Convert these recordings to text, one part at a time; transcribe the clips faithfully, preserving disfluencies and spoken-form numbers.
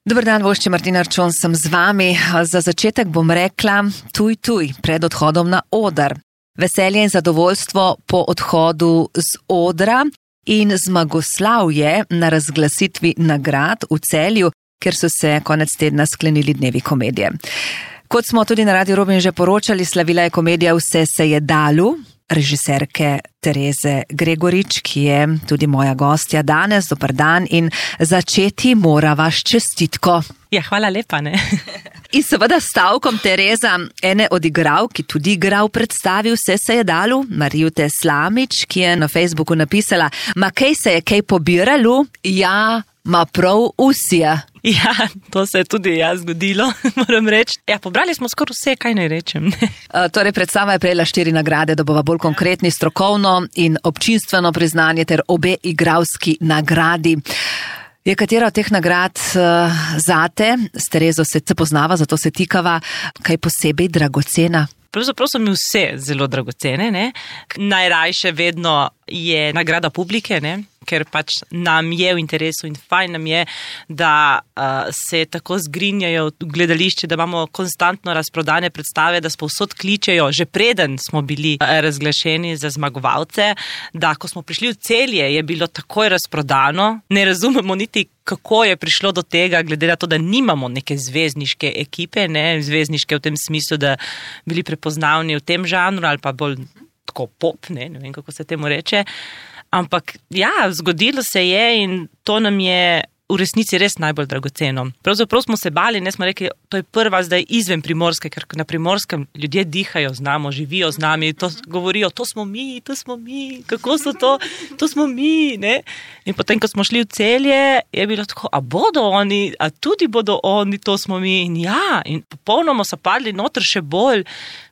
Dober dan, vošče Martina Arčon, sem z vami. Za začetek bom rekla tuj, tuj, pred odhodom na oder. Veselje in zadovoljstvo po odhodu z odra in zmagoslavje na razglasitvi nagrad v Celju, ker so se konec tedna sklenili dnevi komedije. Kot smo tudi na Radiu Robin že poročali, slavila je komedija Vse se je dalo, režiserke Tereze Gregorič, ki je tudi moja gostja danes. Dober dan in začeti morava s čestitko. Ja, hvala lepa, ne. In seveda stavkom Tereza, ene od igralk, ki tudi igra v predstavi Vse se je dalo, Marjute Slamič, ki je na Facebooku napisala: Ma kaj se je kaj pobiralo? Ja, ma prav vsi. Ja, to se je tudi jaz zgodilo, moram reči. Ja, pobrali smo skoraj vse, kaj naj rečem. Uh, torej, predstava je prejela štiri nagrade, da bova bolj konkretni, strokovno in občinstveno priznanje ter obe igralski nagradi. Je katera od teh nagrad uh, zate? S Terezo se poznava, zato se tikava, kaj posebej dragocena? Pravzaprav so mi vse zelo dragocene, ne. Najrajše vedno je nagrada publike, ne, ker pač nam je v interesu in fajn nam je, da uh, se tako zgrinjajo v gledališče, da imamo konstantno razprodane predstave, da povsod kličejo, že preden smo bili razglašeni za zmagovalce, da ko smo prišli v Celje, je bilo takoj razprodano. Ne razumemo niti, kako je prišlo do tega, glede na to, da nimamo neke zvezdniške ekipe, ne, zvezdniške v tem smislu, da bili prepoznavni v tem žanru ali pa bolj tako pop, ne, ne vem, kako se temu reče. Ampak ja, zgodilo se je in to nam je v resnici res najbolj dragoceno. Pravzaprav smo se bali, ne, smo rekli, to je prva zdaj izven Primorske, ker na Primorskem ljudje dihajo z nami, živijo z nami, to govorijo, to smo mi, to smo mi, kako so to, to smo mi, ne. In potem, ko smo šli v Celje, je bilo tako, a bodo oni, a tudi bodo oni, to smo mi. In ja, in popolnoma so padli noter še bolj,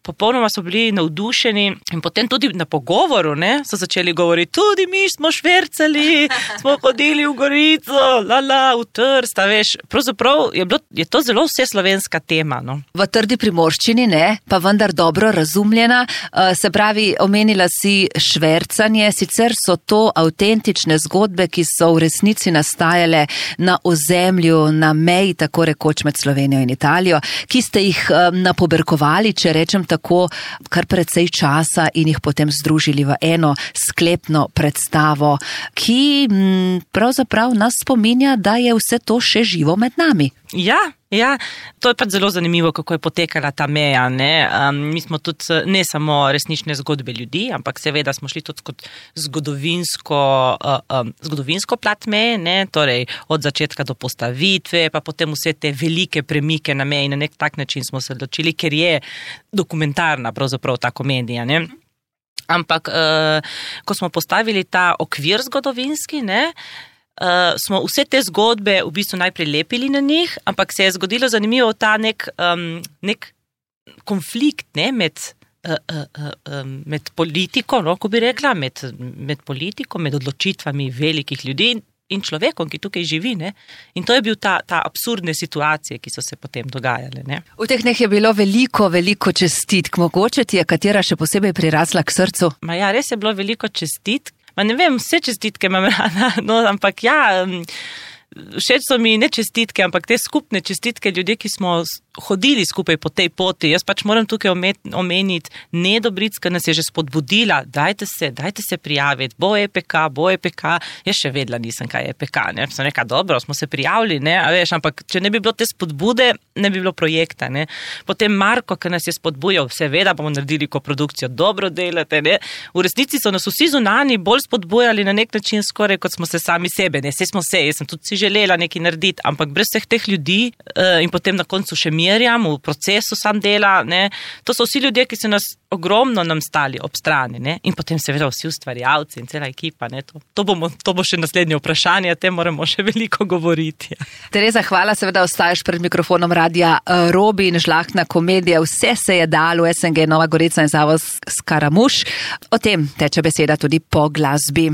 popolnoma so bili navdušeni in potem tudi na pogovoru, ne, so začeli govoriti, tudi mi smo švercali, smo hodili v Gorico, la, la, v Trst, a veš, pravzaprav je, bilo, je to zelo vse slovenska tema, no. V trdi primorščini, ne, pa vendar dobro razumljena, se pravi, omenila si švercanje, sicer so to avtentične zgodbe, ki so v resnici nastajale na ozemlju, na meji, tako rekoč med Slovenijo in Italijo, ki ste jih napoberkovali, če rečem tako, kar precej časa in jih potem združili v eno sklepno predstavo, ki m, pravzaprav nas spominja, da je vse to še živo med nami. Ja, ja, to je pač zelo zanimivo, kako je potekala ta meja, ne. Um, mi smo tudi ne samo resnične zgodbe ljudi, ampak seveda smo šli tudi kot zgodovinsko, uh, um, zgodovinsko plat meje, ne, torej od začetka do postavitve, pa potem vse te velike premike na meji, na nek tak način smo se odločili, ker je dokumentarna pravzaprav ta komedija, ne. Ampak, uh, ko smo postavili ta okvir zgodovinski, ne, Uh, smo vse te zgodbe v bistvu najprej lepili na njih, ampak se je zgodilo zanimivo ta nek, um, nek konflikt, ne, med, uh, uh, uh, med politiko, no, ko bi rekla, med, med politiko, med odločitvami velikih ljudi in človekom, ki tukaj živi, ne. In to je bil ta, ta absurdne situacije, ki so se potem dogajale, ne. V teh dneh je bilo veliko, veliko čestitk. Mogoče ti je katera še posebej prirasla k srcu? Ma ja, res je bilo veliko čestitk. Ma ne vem, vse čestitke imam rada, no, ampak ja, všeč so mi ne čestitke, ampak te skupne čestitke ljudje, ki smo hodili skupaj po tej poti. Jaz pač moram tukaj omeniti Nedo Bricka, nas je že spodbudila, dajte se, dajte se prijaviti, bo E P K, bo E P K, jaz še vedela nisem, kaj je E P K, ne, sem rekla, dobro, smo se prijavili, ne, a veš, ampak če ne bi bilo te spodbude, ne bi bilo projekta, ne. Potem Marko, ki nas je spodbujal, seveda bomo naredili koprodukcijo, dobro delate, ne. V resnici so nas vsi zunani bolj spodbujali na nek način skoraj, kot smo se sami sebe, ne, saj smo se, jaz sem tudi si želela nekaj narediti, ampak brez vseh teh ljudi uh, in potem na koncu še Mirjam v procesu sam dela, ne, to so vsi ljudje, ki so nas ogromno nam stali ob strani, ne, in potem seveda vsi ustvarjalci in cela ekipa, ne, to, to, bomo, to bo še naslednje vprašanje, te moramo še veliko govoriti. Ja. Tereza, hvala, seveda ostaješ pred mikrofonom Radia Robin, žlahtna komedija Vse se je dalo, S N G Nova Gorica in Zavod Skaramuš. O tem teče beseda tudi po glasbi.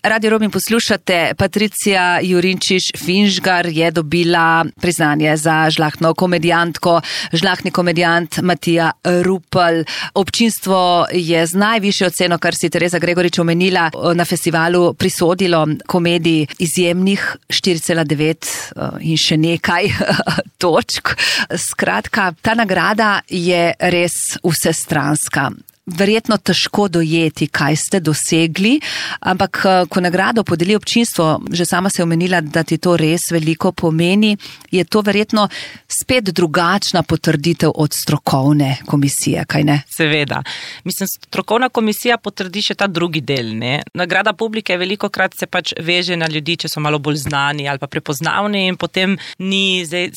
Radio Robin poslušate, Patricija Jurinčič-Finžgar je dobila priznanje za žlahtno komedijantko, žlahtni komedijant Matija Rupel. Občinstvo je z najvišjo oceno, kar si Tereza Gregorič omenila, na festivalu prisodilo komediji izjemnih štiri cela devet in še nekaj točk. Skratka, ta nagrada je res vsestranska. Verjetno težko dojeti, kaj ste dosegli, ampak ko nagrado podeli občinstvo, že sama se je omenila, da ti to res veliko pomeni, je to verjetno spet drugačna potrditev od strokovne komisije, kaj ne? Seveda. Mislim, strokovna komisija potrdi še ta drugi del, ne? Nagrada publike veliko krat se pač veže na ljudi, če so malo bolj znani ali pa prepoznavni in potem ni zdaj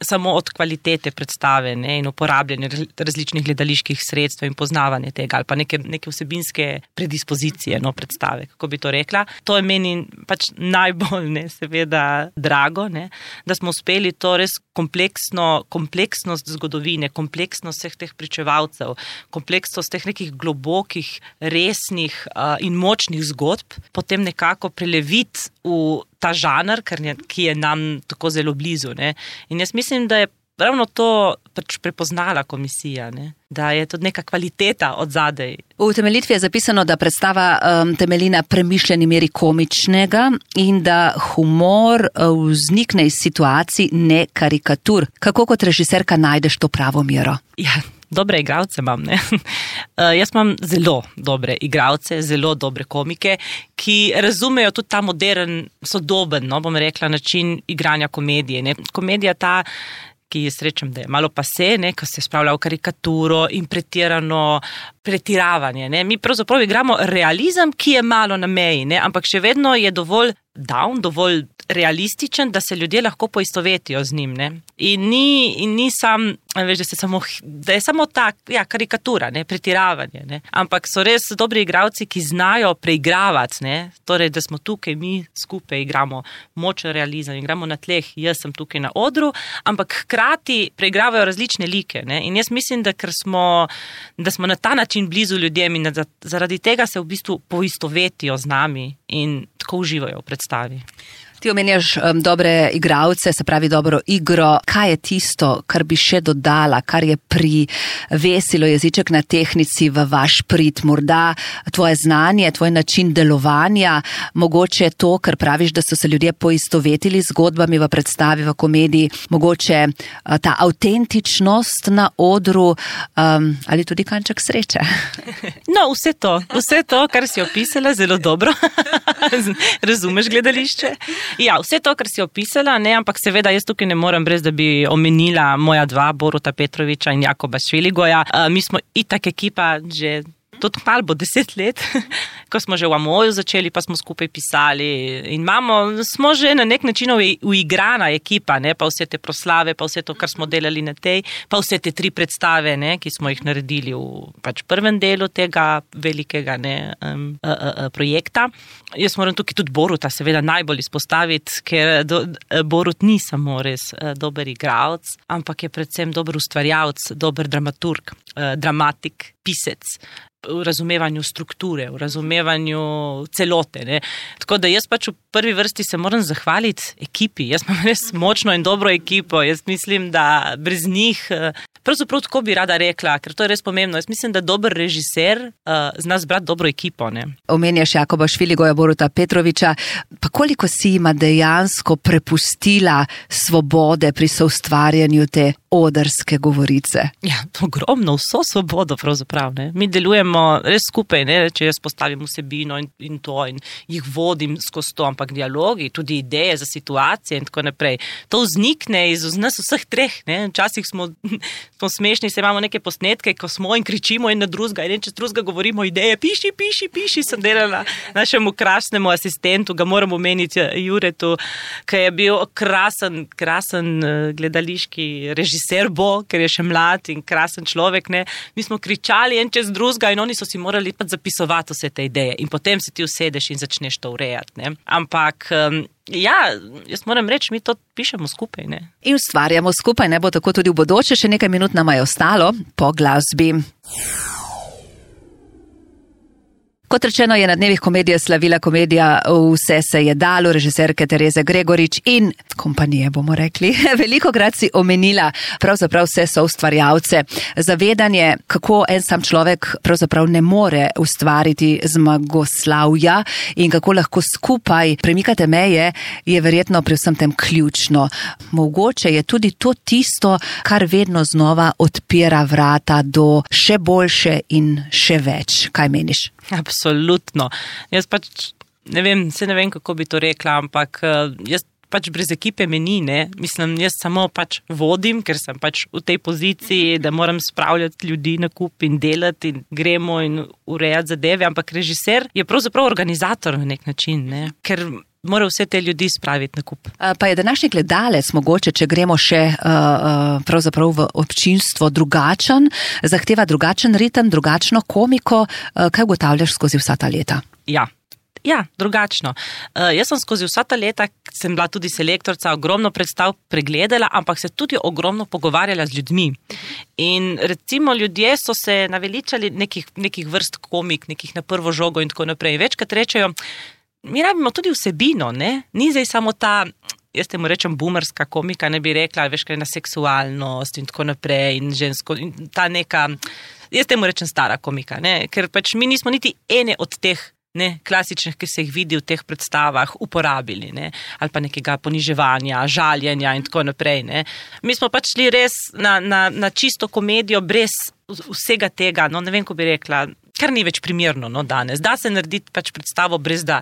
samo od kvalitete predstave, ne, in uporabljanje različnih gledaliških sredstev in poznavanje tega ali pa neke, neke vsebinske predispozicije, no, predstave, kako bi to rekla. To je meni pač najbolj, ne, seveda drago, ne, da smo uspeli to res kompleksno, kompleksnost zgodovine, kompleksnost vseh teh pričevalcev, kompleksnost teh nekih globokih, resnih uh, in močnih zgodb, potem nekako preleviti v ta žanr, ki je nam tako zelo blizu. Ne? In jaz mislim, da je ravno to pač prepoznala komisija, ne? Da je tudi neka kvaliteta od zadej. V utemeljitvi je zapisano, da predstava um, temelji na premišljeni meri komičnega in da humor uh, vznikne iz situacij, ne karikatur. Kako kot režiserka najdeš to pravo mero? Ja, dobre igralce imam, ne. Uh, jaz imam zelo dobre igralce, zelo dobre komike, ki razumejo tudi ta modern, sodoben, no, bom rekla, način igranja komedije, ne. Komedija ta, ki je srečem, da je malo pase, ne, ko se spravlja v karikaturo in pretirano pretiravanje, ne. Mi pravzaprav igramo realizem, ki je malo na meji, ne, ampak še vedno je dovolj down, dovolj realističen, da se ljudje lahko poistovetijo z njim, ne. In ni, in ni sam, veš, da, se samo, da je samo ta, ja, karikatura, ne, pretiravanje, ne. Ampak so res dobri igralci, ki znajo preigravati, ne, torej, da smo tukaj, mi skupaj igramo močen realizem, igramo na tleh, jaz sem tukaj na odru, ampak hkrati preigravajo različne like, ne. In jaz mislim, da ker smo, da smo na ta način blizu ljudem in da zaradi tega se v bistvu poistovetijo z nami in tako uživajo v predstavi. Ti omenjaš um, dobre igralce, se pravi dobro igro. Kaj je tisto, kar bi še dodala, kar je privesilo jeziček na tehnici v vaš prid? Morda tvoje znanje, tvoj način delovanja, mogoče to, kar praviš, da so se ljudje poistovetili z zgodbami v predstavi, v komediji, mogoče uh, ta avtentičnost na odru um, ali tudi kanček sreče? No, vse to, vse to, kar si opisala, zelo dobro. Razumeš gledališče? Ja, vse to, kar si opisala, ne, ampak seveda jaz tukaj ne morem brez, da bi omenila moja dva, Boruta Petroviča in Jakoba Šveligoja. Uh, mi smo itak ekipa že tudi malo bo deset let, ko smo že v Amoju začeli, pa smo skupaj pisali in imamo, smo že na nek način uigrana ekipa, ne, pa vse te proslave, pa vse to, kar smo delali na tej, pa vse te tri predstave, ne, ki smo jih naredili v pač prvem delu tega velikega, ne, um, uh, uh, projekta. Jaz moram tukaj tudi Boruta seveda najbolj izpostaviti, ker do, Borut ni samo res uh, dober igralec, ampak je predvsem dober ustvarjalec, dober dramaturg, uh, dramatik, pisec, v razumevanju strukture, v razumevanju celote, ne. Tako da jaz pač v prvi vrsti se moram zahvaliti ekipi. Jaz imam res močno in dobro ekipo. Jaz mislim, da brez njih, pravzaprav tako bi rada rekla, ker to je res pomembno. Jaz mislim, da dober režiser uh, zna zbrati dobro ekipo, ne. Omenjaš Jakoba Šveligoja, Boruta Petroviča, pa koliko si ima dejansko prepustila svobode pri soustvarjanju te odrske govorice? Ja, ogromno, vso svobodo pravzaprav, ne. Mi delujemo res skupaj, ne, če jaz postavim vsebino in, in to in jih vodim skozi to, ampak dialogi, tudi ideje za situacije in tako naprej. To vznikne iz nas vseh treh, ne. Včasih smo, smo smešni, se imamo neke posnetke, ko smo in kričimo in na drugega, in čez drugega govorimo ideje, piši, piši, piši, sem delala našemu krasnemu asistentu, ga moram omeniti, Juretu, ki je bil krasen, krasen gledališki režiser bo, ker je še mlad in krasen človek, ne. Mi smo kričali en čez drugega in oni so si morali pa zapisovati vse te ideje in potem se ti usedeš in začneš to urejati, ne. Ampak, um, ja, jaz moram reči, mi to pišemo skupaj, ne. In ustvarjamo skupaj, ne bo tako tudi v bodoče, še nekaj minut nama je ostalo po glasbi. Kot rečeno, je na dnevih komedije slavila komedija Vse se je dalo, režiserke Tereze Gregorič in kompanije, bomo rekli. Velikokrat si omenila pravzaprav vse soustvarjalce. Zavedanje, kako en sam človek pravzaprav ne more ustvariti zmagoslavja in kako lahko skupaj premikate meje, je verjetno pri vsem tem ključno. Mogoče je tudi to tisto, kar vedno znova odpira vrata do še boljše in še več. Kaj meniš? Absolutno. Jaz pač ne vem, se ne vem, kako bi to rekla, ampak jaz pač brez ekipe me ni, ne. Mislim, jaz samo pač vodim, ker sem pač v tej poziciji, da moram spravljati ljudi na kup in delati in gremo in urejati zadeve, ampak režiser je pravzaprav organizator na nek način, ne. Ker mora vse te ljudi spraviti na kup. Pa je današnji gledalec mogoče, če gremo še uh, pravzaprav v občinstvo, drugačen, zahteva drugačen ritem, drugačno komiko. Uh, kaj ugotavljaš skozi vsa ta leta? Ja. Ja, drugačno. Uh, jaz sem skozi vsa ta leta, sem bila tudi selektorca, ogromno predstav pregledala, ampak se tudi ogromno pogovarjala z ljudmi. In recimo ljudje so se naveličali nekih, nekih vrst komik, nekih na prvo žogo in tako naprej. Večkrat rečejo, mi rabimo tudi vsebino, ne? Ni zdaj samo ta, jaz temu rečem boomerska komika, ne bi rekla, veš kaj, na seksualnost in tako naprej in žensko, in ta neka, jaz temu rečem stara komika, ne? Ker pač mi nismo niti ene od teh ne, klasičnih, ki se jih vidi v teh predstavah, uporabili, ne? Ali pa nekega poniževanja, žaljenja in tako naprej, ne? Mi smo pač šli res na, na, na čisto komedijo brez vsega tega, no ne vem, ko bi rekla, kar ni več primerno, no, danes. Da se narediti pač predstavo brez da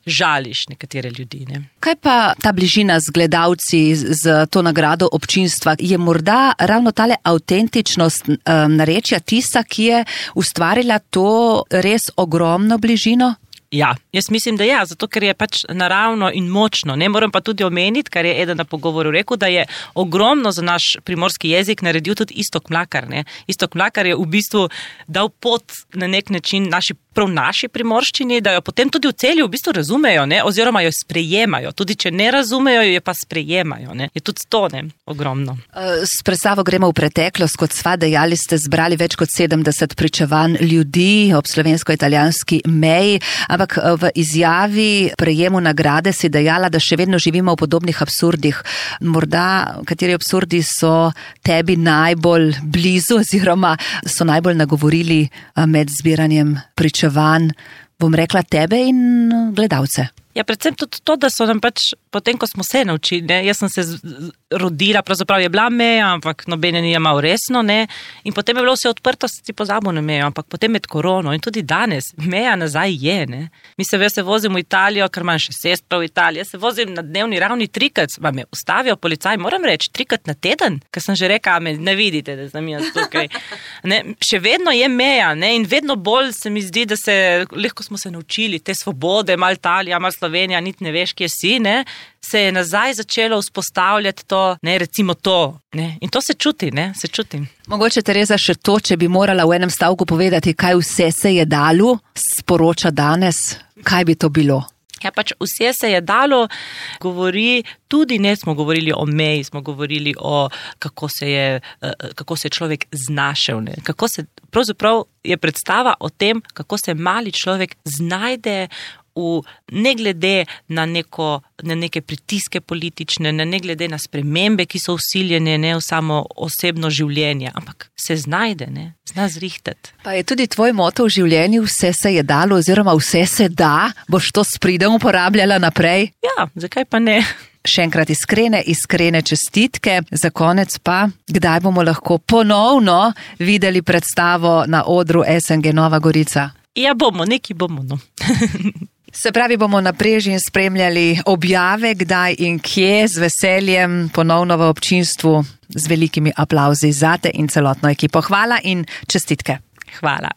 žališ nekatere ljudi, ne. Kaj pa ta bližina z gledalci, z to nagrado občinstva? Je morda ravno tale avtentičnost um, narečja tista, ki je ustvarila to res ogromno bližino? Ja, jaz mislim, da ja, zato ker je pač naravno in močno. Ne moram pa tudi omeniti, kar je eden na pogovoru rekel, da je ogromno za naš primorski jezik naredil tudi Iztok Mlakar, ne. Iztok Mlakar je v bistvu dal pot na nek način naši, prav naši primorščini, da jo potem tudi v Celju v bistvu razumejo, ne, oziroma jo sprejemajo. Tudi če ne razumejo, jo pa sprejemajo, ne. Je tudi to, ne, ogromno. S predstavo gremo v preteklost, kot sva dejali, ste zbrali več kot sedemdeset pričevanj ljudi ob slovensko-italijanski meji, ampak v izjavi prejemu nagrade si dejala, da še vedno živimo v podobnih absurdih. Morda, kateri absurdi so tebi najbolj blizu oziroma so najbolj nagovorili med zbiranjem pričevanj, bom rekla, tebe in gledalce? Ja, predvsem tudi to, da so nam pač, potem, ko smo se naučili, ne, jaz sem se z, rodila, pravzaprav je bila meja, ampak nobene ni imel resno, ne, in potem je bilo vse odprto, si pozabil na mejo, ampak potem med korono in tudi danes, meja nazaj je, ne. Mi se, se vozim v Italijo, ker imam še sestra v Italiji, se vozim na dnevni ravni trikrat, pa me ustavijo policaj, moram reči, trikrat na teden, ker sem že rekla, me ne vidite, da sem jaz tukaj. Ne, še vedno je meja, ne, in vedno bolj se mi zdi, da se, lahko smo se naučili te svobode, mal Italija, mal Slovenija, niti ne veš, kje si, ne, se je nazaj začelo vzpostavljati to, ne, recimo to, ne, in to se čuti, ne, se čuti. Mogoče, Tereza, še to, če bi morala v enem stavku povedati, kaj vse se je dalo, sporoča danes, kaj bi to bilo? Ja, pač vse se je dalo, govori, tudi ne smo govorili o meji, smo govorili o, kako se je, kako se je človek znašel, ne, kako se, pravzaprav je predstava o tem, kako se mali človek znajde v, ne glede na, neko, na neke pritiske politične, ne, ne glede na spremembe, ki so vsiljene, ne v samo osebno življenje, ampak se znajde, ne, zna zrihtati. Pa je tudi tvoj moto v življenju, vse se je dalo oziroma vse se da, boš to s pridom uporabljala naprej? Ja, zakaj pa ne? Še enkrat iskrene, iskrene čestitke. Za konec pa, kdaj bomo lahko ponovno videli predstavo na odru S N G Nova Gorica? Ja, bomo, neki bomo, no. Se pravi, bomo naprej in spremljali objave, kdaj in kje, z veseljem ponovno v občinstvu, z velikimi aplavzi zate in celotno ekipo. Hvala in čestitke. Hvala.